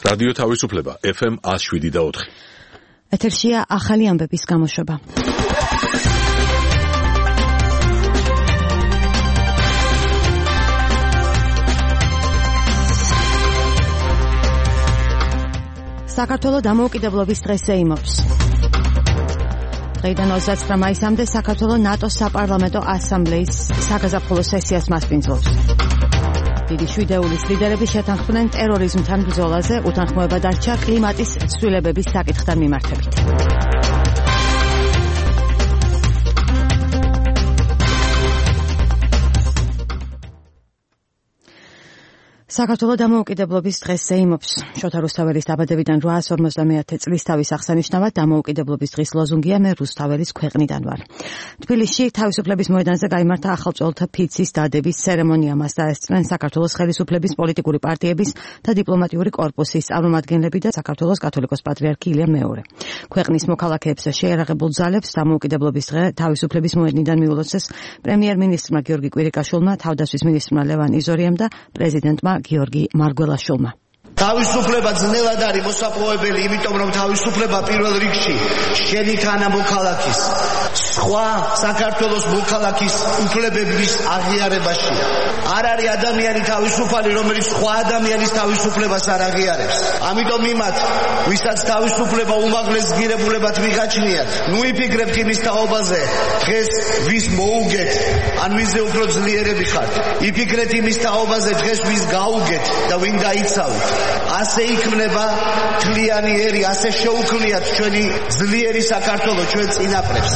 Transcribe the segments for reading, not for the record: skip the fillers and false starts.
რადიო თავისუფლება FM 107.4. ეთერშია ახალი ამბების გამოშვება. საქართველოს დამოუკიდებლობის დღეს ეიმობს. დღეიდან 29 მაისამდე საქართველოს ნატოს საპარლამენტო ასამბლეის საგაზაფხულო სესიას მასპინძლობს. დიდი შვიდეულის ლიდერები შეთანხმდნენ ტერორიზმთან ბრძოლაზე, უთანხმოება დარჩა კლიმატის ცვლილებების საკითხთან მიმართებით. საქართველოს დამოუკიდებლობის დღეს ეიმობს. შოთა რუსთაველის დაბადებიდან 850 წლის თავის აღსანიშნავად დამოუკიდებლობის დღის ლოზუნგია მე რუსთაველის ქვეყნიდან ვარ. თბილისში თავისუფლების მოედანზე გაიმართა ახალწოლთა ფიცის დადების ცერემონია. მას დაესწრნენ საქართველოს ხელისუფლების პოლიტიკური პარტიების და დიპლომატიური კორპუსის წარმომადგენლები და საქართველოს კათოლიკოს პატრიარქი ილია მეორე. ქვეყნის მოქალაქეებს შეიარაღებულ ძალებს დამოუკიდებლობის დღე თავისუფლების მოედნიდან მიულოცეს პრემიერ-მინისტრმა გიორგი კვირიკაშვილმა, თავდაცვის მინისტრმა ლევან იზორიამ და პრეზიდენტმა გიორგი მარგველაშვილმა. თავისუფლება ძნელად არის მოსაპოვებელი, იმიტომ რომ თავისუფლება პირველ რიგში შენი თანამოქალაქის, სხვა საქართველოს მოქალაქის უფლებების აღიარებაშია. არ არის ადამიანი თავისუფალი, რომელიც სხვა ადამიანის თავისუფლებას არ აღიარებს. ამიტომ იმათ, ვისაც თავისუფლება უმაღლეს ღირებულებად მიგაჩნიათ, ნუ იფიქრებთ იმის თაობაზე, დღეს ვის მოუგეთ, ან ვისზე უფრო ძლიერები ხართ. იფიქრეთ იმის თაობაზე, დღეს ვის გაუგეთ და ვინ დაიცავთ. ასე იქმნება თლიანი ერი, ასე შეუქმნიათ ჩვენი ძლიერი საქართველო, ჩვენ წინაპრებს.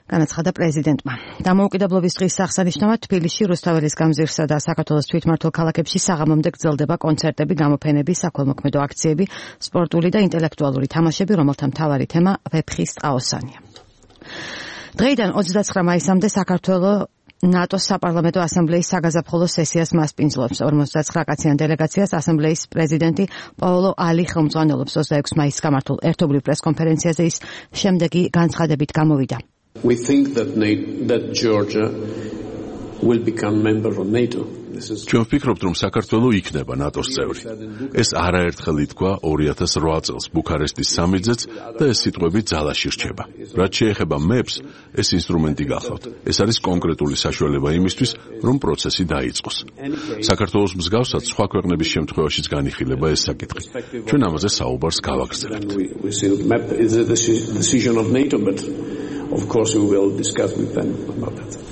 განაცხადა პრეზიდენტმა. დამოუკიდებლობის დღის აღსანიშნავად თბილისში რუსთაველის გამზირსა და საქართველოს თვითმმართველ ქალაქებში საღამომდე გრძელდება კონცერტები, გამოფენები, საქველმოქმედო აქციები, სპორტული და ინტელექტუალური თამაშები, რომელთა მთავარი თემა ვეფხის ტყაოსანია. დღეიდან 29 მაისამდე საქართველოს ნატოს საპარლამენტო ასამბლეის საგაზაფხულო სესიას მასპინძლობს. 59 კაციან დელეგაციას ასამბლეის პრეზიდენტი პაოლო ალი ხელმძღვანელობს. 26 მაისს გამართულ ერთობლივ პრესკონფერენციაზე ის შემდეგი განცხადებით გამოვიდა. We think that Georgia will become member of NATO. ჩვენ ვფიქრობთ, რომ საქართველო იქნება ნატოს წევრი. ეს არაერთხელ ითქვა 2008 წელს ბუქარესტის სამიტზეც და ეს სიტყვები ძალაში რჩება. რაც შეეხება მეებს, ეს ინსტრუმენტი გახლავთ. ეს არის კონკრეტული საშუალება იმისთვის, რომ პროცესი დაიწყოს. საქართველოს მსგავსად სხვა ქვეყნების შემთხვევაშიც განიხილება ეს საკითხი. ჩვენ ამაზე საუბარს გავაგრძელებთ. Of course we will discuss with them about that.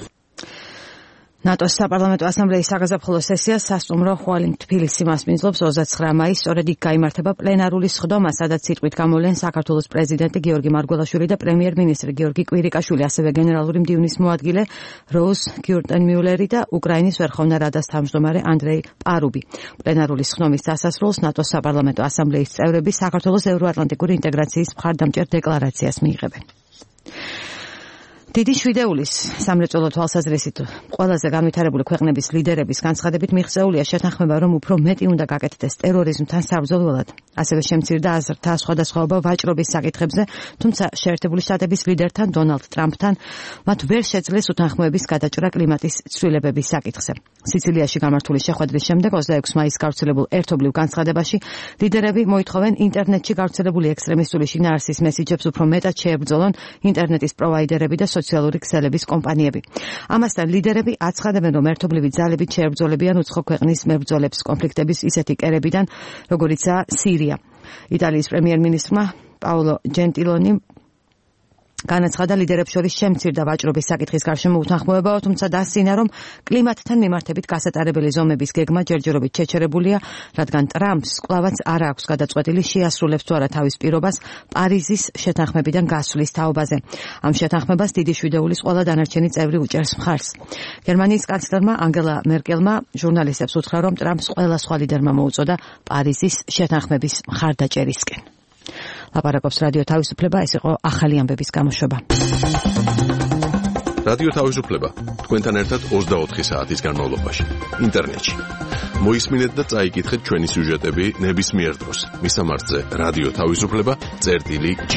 ნატოს საპარლამენტო ასამბლეის საგაზაფხულო სესიას სასტუმრო ხვალინ თბილისი მასპინძლობს 29 მაისს. სწორედ იქ გაიმართება პლენარული სხდომა, სადაც სიტყვით გამოვლენ საქართველოს პრეზიდენტი გიორგი მარგველაშვილი და პრემიერ-მინისტრი გიორგი კვირიკაშვილი, ასევე გენერალური მდივნის მოადგილე როუზ გიურტენმიულერი და უკრაინის ვერხოვნა რადას თავმჯდომარე ანდრეი პარუბი. პლენარული სხდომის დასასრულს ნატოს საპარლამენტო ასამბლეის წევრები საქართველოს ევროატლანტიკური ინტეგრაციის მხარდამჭერ დეკლარაციას მიიღებენ. დიდი შვიდეულის სამრეწველო თვალსაზრისით ყველაზე განვითარებული ქვეყნების ლიდერების განცხადებით მიღწეულია შეთანხმება, რომ უფრო მეტი უნდა გაკეთდეს ტერორიზმთან საბრძოლველად. ასევე შემცირდა აზრთა სხვადასხვაობა ვაჭრობის საკითხებზე, თუმცა შეერთებული შტატების ლიდერთან დონალდ ტრამპთან მათ ვერ შეძლეს უთანხმოების გადაჭრა კლიმატის ცვლილებების საკითხზე. სიცილიაში გამართული შეხვედრის შემდეგ 26 მაისს გავრცელებულ ერთობლივ განცხადებაში ლიდერები მოითხოვენ ინტერნეტში გავრცელებული ექსტრემისტული შინაარსის მესიჯებს უფრო მეტად შეებრძოლონ ინტერნეტის პროვაიდერები და სოციალური ქსელების კომპანიები. ამასთან ლიდერები აცხადებენ, რომ ერთობლივი ძალებით შეებრძოლებიან უცხო ქვეყნის მებრძოლებს კონფლიქტების ისეთი კერებიდან, როგორიცაა სირია. იტალიის პრემიერ-მინისტრმა პაოლო ჯენტილონი განაცხადა ლიდერებს შორის შემცირდა ვაჭრობის საკითხის გარშემო უთანხმოებაო, თუმცა დასცინა, რომ კლიმატთან მიმართებით გასატარებელი ზომების გეგმა ჯერჯერობით შეჩერებულია, რადგან ტრამპს კვლავაც არ აქვს გადაწყვეტილი შეასრულებს თუ არა თავის პირობას პარიზის შეთანხმებიდან გასვლის თაობაზე. ამ შეთანხმებას დიდი შვიდეულის ყველა დანარჩენი წევრი უჭერს მხარს. გერმანიის კანცლერმა ანგელა მერკელმა ჟურნალისტებს უთხრა, რომ ტრამპს ყველა სხვა ლიდერმა მოუწოდა პარიზის შეთანხმების მხარდაჭერისკენ. ლაპარაკობს რადიო თავისუფლება, ეს იყო ახალი ამბების გამოშვება. რადიო თავისუფლება თქვენთან ერთად 24 საათის განმავლობაში ინტერნეტში. მოისმინეთ და წაიკითხეთ ჩვენი სიუჟეტები ნებისმიერ დროს. მისამართზე რადიო თავისუფლება წერტილი G.